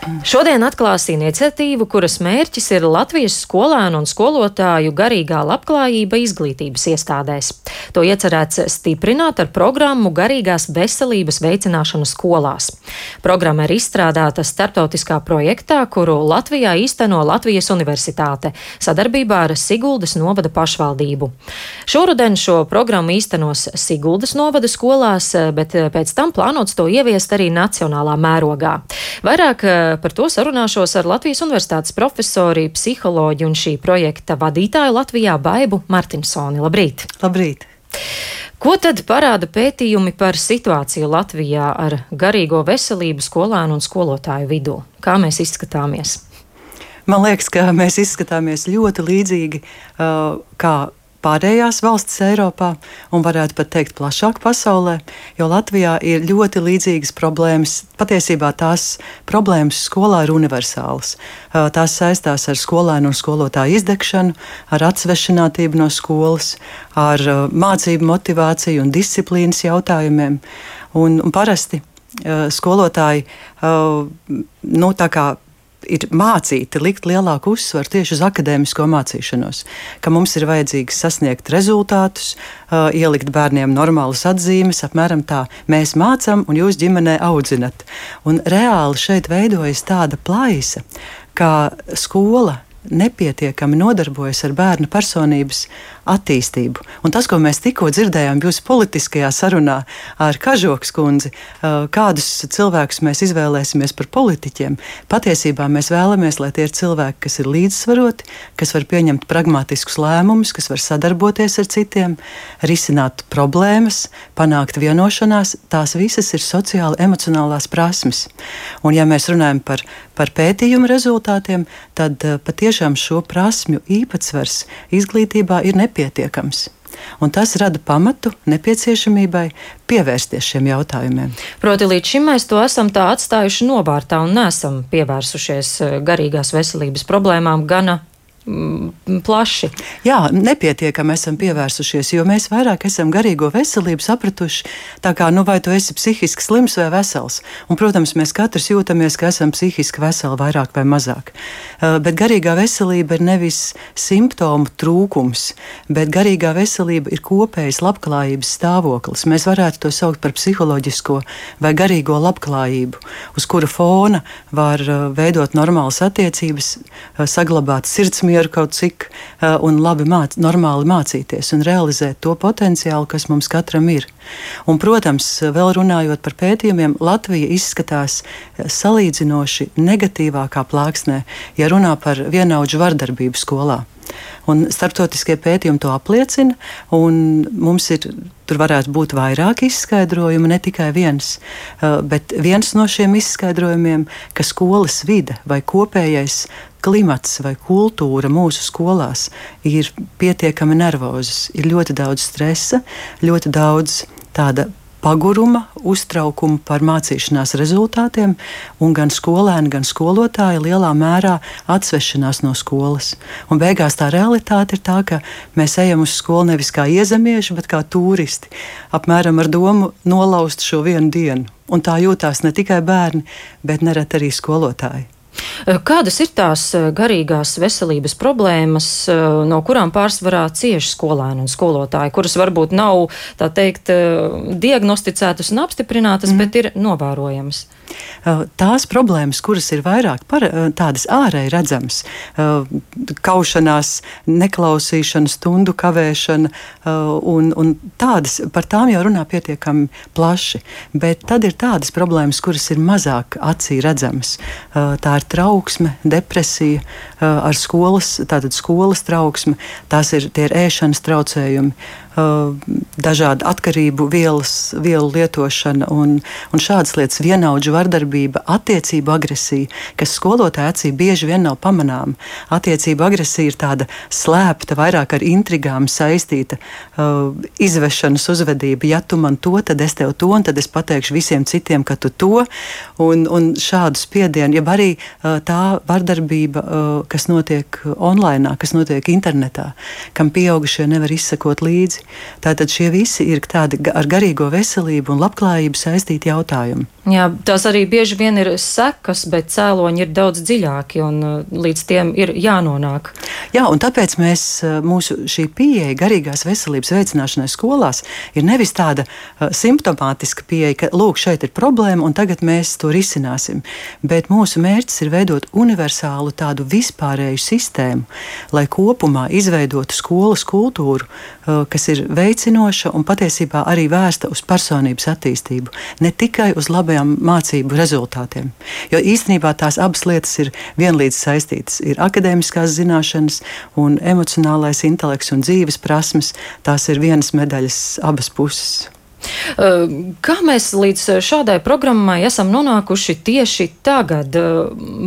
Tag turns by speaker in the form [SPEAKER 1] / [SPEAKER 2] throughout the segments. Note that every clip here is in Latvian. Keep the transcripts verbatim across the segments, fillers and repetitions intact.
[SPEAKER 1] Šodien atklās iniciatīvu, kuras mērķis ir Latvijas skolēnu un skolotāju garīgā labklājība izglītības iestādēs. To iecerēts stiprināt ar programmu Garīgās veselības veicināšanu skolās. Programma ir izstrādāta starptautiskā projektā, kuru Latvijā īsteno Latvijas Universitāte sadarbībā ar Siguldas novada pašvaldību. Šoruden šo programmu īstenos Siguldas novada skolās, bet pēc tam plānots to ieviest arī nacionālā mērogā. Vairāk par to sarunāšos ar Latvijas Universitātes profesori, psiholoģi un šī projekta vadītāju Latvijā Baibu Martinsoni. Labrīt!
[SPEAKER 2] Labrīt!
[SPEAKER 1] Ko tad parāda pētījumi par situāciju Latvijā ar garīgo veselību skolēnu un skolotāju vidū? Kā mēs izskatāmies?
[SPEAKER 2] Man liekas, ka mēs izskatāmies ļoti līdzīgi uh, kā pārējās valstis Eiropā, un varētu pat teikt plašāk pasaulē, jo Latvijā ir ļoti līdzīgas problēmas. Patiesībā tās problēmas skolā ir universālas. Tās saistās ar skolēnu un skolotāju izdegšanu, ar atsvešinātību no skolas, ar mācību motivāciju un disciplīnas jautājumiem. Un, un parasti skolotāji, nu tā kā ir mācīti likt lielāku uzsvaru tieši uz akadēmisko mācīšanos, ka mums ir vajadzīgs sasniegt rezultātus, uh, ielikt bērniem normālas atzīmes, apmēram tā mēs mācam un jūs ģimenē audzinat. Un reāli šeit veidojas tāda plaisa, ka skola nepietiekami nodarbojas ar bērnu personības attīstību. Un tas, ko mēs tikko dzirdējām jūsu politiskajā sarunā ar Kažokas kundzi, kādus cilvēkus mēs izvēlēsimies par politiķiem, patiesībā mēs vēlamies, lai tie ir cilvēki, kas ir līdzsvaroti, kas var pieņemt pragmatiskus lēmumus, kas var sadarboties ar citiem, risināt problēmas, panākt vienošanās. Tās visas ir sociāli emocionālās prasmes. Un ja mēs runājam par, par pētījumu rezultātiem, tad patiešām šo prasmju īpatsvars izglītībā ir nepietiekams. Un tas rada pamatu nepieciešamībai pievērsties šiem jautājumiem.
[SPEAKER 1] Proti, līdz šim mēs to esam tā atstājuši novārtā un neesam pievērsušies garīgās veselības problēmām gana plaši.
[SPEAKER 2] Jā, nepietiekami esam pievērsušies, jo mēs vairāk esam garīgo veselību sapratuši, tā kā, nu vai tu esi psihiski slims vai vesels. Un, protams, mēs katrs jūtamies, ka esam psihiski veseli vairāk vai mazāk. Uh, bet garīgā veselība ir nevis simptomu trūkums, bet garīgā veselība ir kopējas labklājības stāvoklis. Mēs varētu to saukt par psiholoģisko vai garīgo labklājību, uz kura fona var uh, veidot normālas attiecības, uh, saglabāt sirdsmieru, mieru kaut cik uh, un labi māc, normāli mācīties un realizēt to potenciālu, kas mums katram ir. Un, protams, vēl runājot par pētījumiem, Latvija izskatās salīdzinoši negatīvākā plāksnē, ja runā par vienaudžu vardarbību skolā. Un starptautiskie pētījumi to apliecina, un mums ir, tur varētu būt vairāk izskaidrojumu, ne tikai viens. Bet viens no šiem izskaidrojumiem, ka skolas vide vai kopējais klimats vai kultūra mūsu skolās ir pietiekami nervozas. Ir ļoti daudz stresa, ļoti daudz tāda paguruma, uztraukuma par mācīšanās rezultātiem, un gan skolēni, gan skolotāji lielā mērā atsvešanās no skolas. Un beigās tā realitāte ir tā, ka mēs ejam uz skolu nevis kā iezemieši, bet kā turisti, apmēram ar domu nolaust šo vienu dienu. Un tā jūtās ne tikai bērni, bet nereti arī skolotāji.
[SPEAKER 1] Kādas ir tās garīgās veselības problēmas, no kurām pārsvarā cieši skolēni un skolotāji, kuras varbūt nav, tā teikt, diagnosticētas un apstiprinātas, mm. bet ir novērojamas?
[SPEAKER 2] Tās problēmas, kuras ir vairāk par, tādas ārēji redzamas, kaušanās, neklausīšana, stundu kavēšana, un, un tādas, par tām jau runā pietiekami plaši, bet tad ir tādas problēmas, kuras ir mazāk acī redzamas. Tā ir trauksme, depresija, ar skolas, tātad skolas trauksme, tās ir, tie ir ēšanas traucējumi, dažādu atkarību vielas, vielu lietošana un, un šādas lietas, vienaudžu vardarbība, attiecību agresija, kas skolotāja acī bieži vien nav pamanāma. Attiecību agresija ir tāda slēpta, vairāk ar intrigām saistīta uh, izvešanas uzvedība. Ja tu man to, tad es tev to, un tad es pateikšu visiem citiem, ka tu to, un, un šādu spiedienu, ja arī uh, tā vardarbība, uh, kas notiek online, kas notiek internetā, kam pieaugušie nevar izsekot līdzi. pieredzi. Tātad šie visi ir tādi ar garīgo veselību un labklājību saistīti jautājumi.
[SPEAKER 1] Jā, tās arī bieži vien ir sekas, bet cēloņi ir daudz dziļāki un līdz tiem ir jānonāk.
[SPEAKER 2] Jā, un tāpēc mēs, mūsu šī pieeja garīgās veselības veicināšanai skolās ir nevis tāda uh, simptomātiska pieeja, ka lūk, šeit ir problēma un tagad mēs to risināsim, bet mūsu mērķis ir veidot universālu tādu vispārēju sistēmu, lai kopumā izveidotu skolas kultūru, uh, kas ir veicinoša un patiesībā arī vērsta uz personības attīstību, ne tikai uz labajām mācību rezultātiem. Jo īstenībā tās abas lietas ir vienlīdz saistītas. Ir akadēmiskās zināšanas un emocionālais intelekts un dzīves prasmes. Tās ir vienas medaļas abas puses.
[SPEAKER 1] Kā mēs līdz šādai programmai esam nonākuši tieši tagad?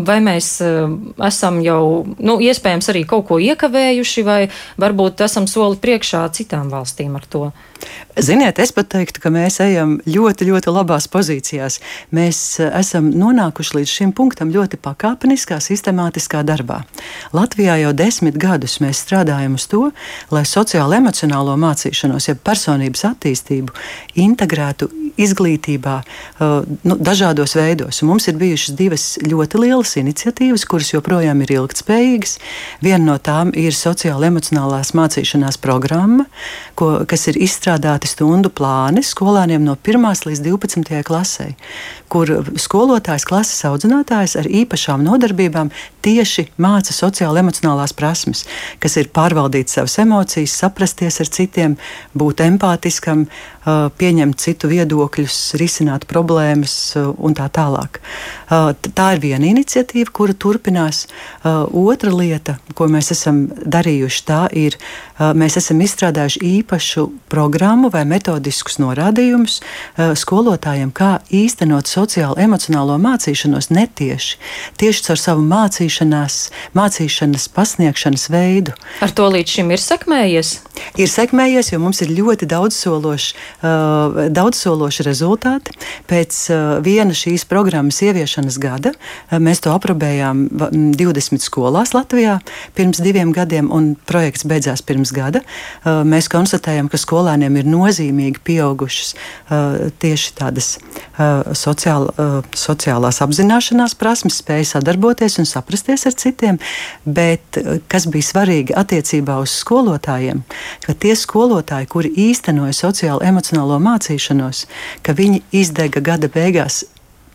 [SPEAKER 1] Vai mēs esam jau, nu, iespējams arī kaut ko iekavējuši, vai varbūt esam soli priekšā citām valstīm ar to?
[SPEAKER 2] Ziniet, es pat teiktu, ka mēs ejam ļoti, ļoti labās pozīcijās. Mēs esam nonākuši līdz šim punktam ļoti pakāpeniskā, sistemātiskā darbā. Latvijā jau desmit gadus mēs strādājam uz to, lai sociālo-emocionālo mācīšanos, ja personības attīstību integrētu izglītībā nu, dažādos veidos. Un mums ir bijušas divas ļoti lielas iniciatīvas, kuras joprojām ir ilgtspējīgas. Viena no tām ir sociālo-emocionālās mācīšanās programma, ko, kas ir izstrādāti stundu plāni skolāniem no pirmās līdz divpadsmitajai klasei, kur skolotājs, klases audzinātājs ar īpašām nodarbībām tieši māca sociālo-emocionālās prasmes, kas ir pārvaldīt savas emocijas, saprasties ar citiem, būt empātiskam, pieņemt citu viedokļus, risināt problēmas un tā tālāk. Tā ir viena iniciatīva, kura turpinās. Otra lieta, ko mēs esam darījuši, tā ir, mēs esam izstrādājuši īpašu programmu vai metodiskus norādījumus skolotājiem, kā īstenot sociālo-emocionālo mācīšanos netieši, tieši caur savu mācīšanās, mācīšanas pasniegšanas veidu.
[SPEAKER 1] Ar to līdz šim ir sekmējies?
[SPEAKER 2] Ir sekmējies, jo mums ir ļoti daudzsološi, uh, daudzsološi rezultāti. Pēc uh, viena šīs programmas ieviešanas gada uh, mēs to aprobējām divdesmit skolās Latvijā pirms diviem gadiem, un projekts beidzās pirms gada. Uh, mēs konstatējam, ka skolēniem ir nozīmīgi pieaugušas uh, tieši tādas uh, sociāla, uh, sociālās apzināšanās prasmes, spēja sadarboties un saprasties ar citiem, bet uh, kas bija svarīgi attiecībā uz skolotājiem, ka tie skolotāji, kuri īstenoja sociālo-emocionālo mācīšanos, ka viņi izdega gada beigās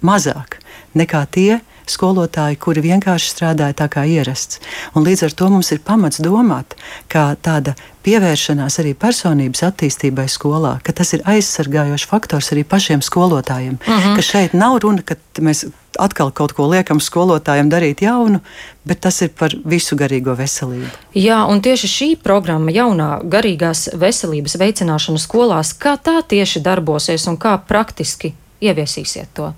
[SPEAKER 2] mazāk nekā tie skolotāji, kuri vienkārši strādāja tā kā ierasts. Un līdz ar to mums ir pamats domāt, ka tāda pievēršanās arī personības attīstībai skolā, ka tas ir aizsargājošs faktors arī pašiem skolotājiem, uh-huh. ka šeit nav runa, ka mēs atkal kaut ko liekam skolotājiem darīt jaunu, bet tas ir par visu garīgo veselību.
[SPEAKER 1] Jā, un tieši šī programma jaunā garīgās veselības veicināšana skolās, kā tā tieši darbosies un kā praktiski ieviesīsiet to?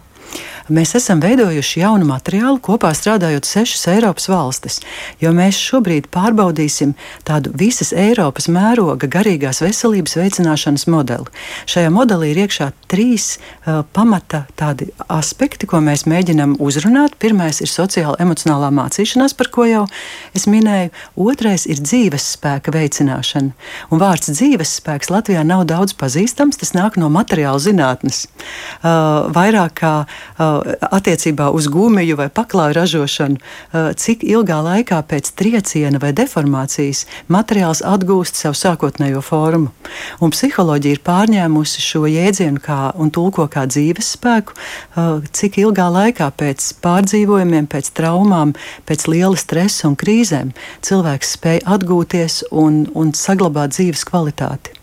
[SPEAKER 2] Mēs esam veidojuši jaunu materiālu, kopā strādājot sešas Eiropas valstis, jo mēs šobrīd pārbaudīsim tādu visas Eiropas mēroga garīgās veselības veicināšanas modeli. Šajā modelī ir iekšā trīs uh, pamata tādi aspekti, ko mēs mēģinam uzrunāt. Pirmais ir sociāla-emocionālā mācīšanās, par ko jau es minēju. Otrais ir dzīves spēka veicināšana. Un vārds dzīves spēks Latvijā nav daudz pazīstams, tas nāk no materiāla zinātnes. Uh, vairāk kā uh, attiecībā uz gumiju vai paklāju ražošanu, cik ilgā laikā pēc trieciena vai deformācijas materiāls atgūst savu sākotnējo formu. Un psiholoģija ir pārņēmusi šo jēdzienu kā, un tulko kā dzīves spēku, cik ilgā laikā pēc pārdzīvojumiem, pēc traumām, pēc liela stresa un krīzēm cilvēks spēj atgūties un, un saglabāt dzīves kvalitāti.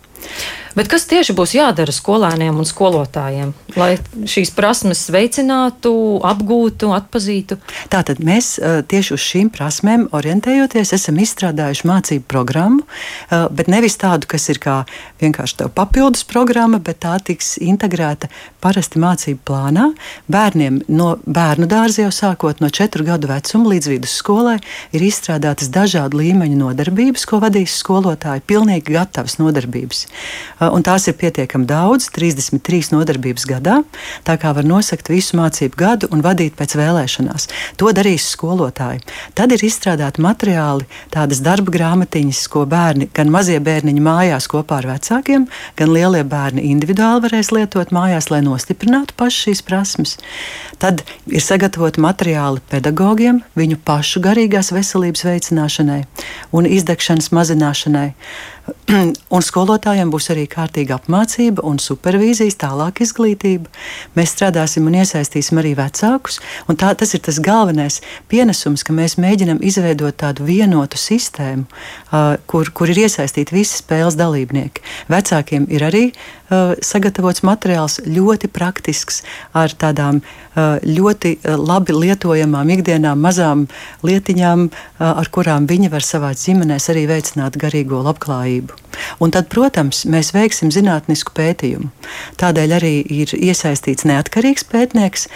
[SPEAKER 1] Bet kas tieši būs jādara skolēniem un skolotājiem, lai šīs prasmes veicinātu, apgūtu, atpazītu?
[SPEAKER 2] Tātad mēs tieši uz šīm prasmēm orientējoties esam izstrādājuši mācību programmu, bet nevis tādu, kas ir kā vienkārši tev papildus programma, bet tā tiks integrēta parasti mācību plānā. Bērniem no bērnu dārza jau sākot no četru gadu vecuma līdz vidusskolai ir izstrādātas dažādu līmeņu nodarbības, ko vadīs skolotāji, pilnīgi gatavas nodarbības. un tās ir pietiekami daudz, trīsdesmit trīs nodarbības gadā, tā kā var nosakt visu mācību gadu un vadīt pēc vēlēšanās. To darīs skolotāji. Tad ir izstrādāti materiāli, tādas darba grāmatiņas, ko bērni, gan mazie bērniņi mājās kopā ar vecākiem, gan lielie bērni individuāli varēs lietot mājās, lai nostiprinātu paši šīs prasmes. Tad ir sagatavoti materiāli pedagogiem, viņu pašu garīgās veselības veicināšanai un izdegšanas mazināšanai. Un skolotājiem būs arī kārtīga apmācība un supervīzijas, tālāk izglītība. Mēs strādāsim un iesaistīsim arī vecākus. Un tā, tas ir tas galvenais pienesums, ka mēs mēģinam izveidot tādu vienotu sistēmu, uh, kur, kur ir iesaistīti visi spēles dalībnieki. Vecākiem ir arī uh, sagatavots materiāls ļoti praktisks, ar tādām uh, ļoti uh, labi lietojamām ikdienām mazām lietiņām, uh, ar kurām viņi var savā ģimenēs arī veicināt garīgo labklājību. Un tad, protams, mēs veiksim zinātnisku pētījumu. Tādēļ arī ir iesaistīts neatkarīgs pētnieks,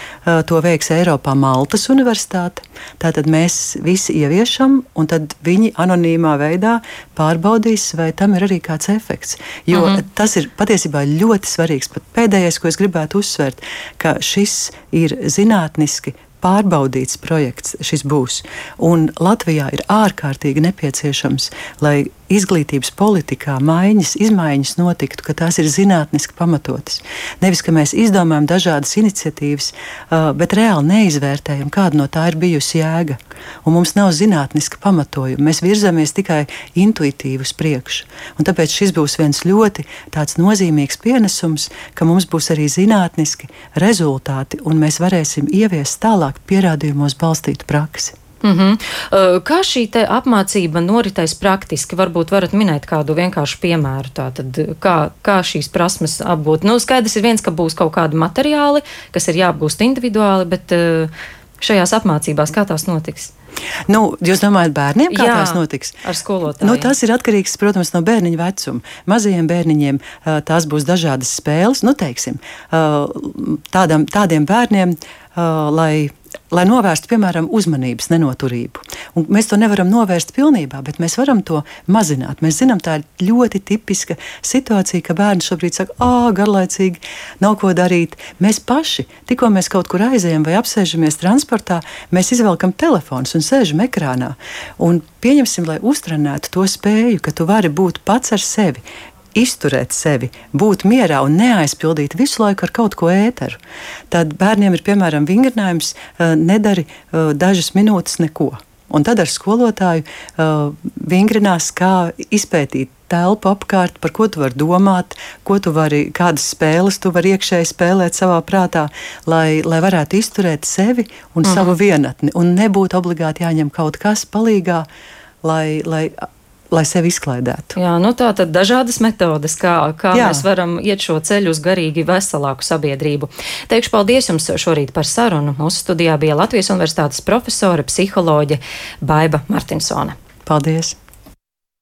[SPEAKER 2] to veiks Eiropā Maltas Universitāte. Tātad mēs visi ieviešam, un tad viņi anonīmā veidā pārbaudīs, vai tam ir arī kāds efekts. Jo mm-hmm. tas ir patiesībā ļoti svarīgs. Pat pēdējais, ko es gribētu uzsvērt, ka šis ir zinātniski pārbaudīts projekts, šis būs. Un Latvijā ir ārkārtīgi nepieciešams, lai izglītības politikā maiņas, izmaiņas notiktu, ka tās ir zinātniski pamatotas. Nevis, ka mēs izdomājam dažādas iniciatīvas, bet reāli neizvērtējam, kāda no tā ir bijusi jēga. Un mums nav zinātniska pamatojuma. Mēs virzamies tikai intuitīvi uz priekšu. Un tāpēc šis būs viens ļoti tāds nozīmīgs pienesums, ka mums būs arī zinātniski rezultāti, un mēs varēsim ieviest tālāk pierādījumos balstītu praksi.
[SPEAKER 1] Mm-hmm. Kā šī te apmācība noritēs praktiski? Varbūt varat minēt kādu vienkāršu piemēru. Tātad, kā, kā šīs prasmes apgūt? Nu, skaidrs ir viens, ka būs kaut kādi materiāli, kas ir jāapgūst individuāli, bet šajās apmācībās kā tās notiks?
[SPEAKER 2] Nu, jūs domājat bērniem, kā
[SPEAKER 1] Jā,
[SPEAKER 2] tās notiks?
[SPEAKER 1] Ar skolotājiem.
[SPEAKER 2] Nu, tas ir atkarīgs, protams, no bērniņa vecuma. Mazajiem bērniņiem tās būs dažādas spēles, nu, teiksim, tādam, tādiem bērniem, lai, lai novērstu, piemēram, uzmanības nenoturību. Un mēs to nevaram novērst pilnībā, bet mēs varam to mazināt. Mēs zinām, tā ir ļoti tipiska situācija, ka bērni šobrīd saka, ā, garlaicīgi, nav ko darīt. Mēs paši, tikko mēs kaut kur aizējam vai apsēžamies transportā, mēs izvelkam telefonus un sēžam ekrānā. Un pieņemsim, lai uztrenētu to spēju, ka tu vari būt pats ar sevi, izturēt sevi, būt mierā un neaizpildīt visu laiku ar kaut ko ēteru. Tad bērniem ir, piemēram, vingrinājums nedari dažas minūtes neko. Un tad ar skolotāju uh, vingrinās, kā izpētīt telpu apkārt, par ko tu vari domāt, ko tu vari, kādas spēles tu vari iekšēji spēlēt savā prātā, lai, lai varētu izturēt sevi un mm. savu vienatni. Un nebūtu obligāti jāņem kaut kas palīgā, lai, lai lai sevi izklaidētu.
[SPEAKER 1] Jā, nu tā tad dažādas metodes, kā, kā mēs varam iet šo ceļu uz garīgi veselāku sabiedrību. Teikšu paldies jums šorīt par sarunu. Mūsu studijā bija Latvijas Universitātes profesore, psiholoģe Baiba Martinsone.
[SPEAKER 2] Paldies!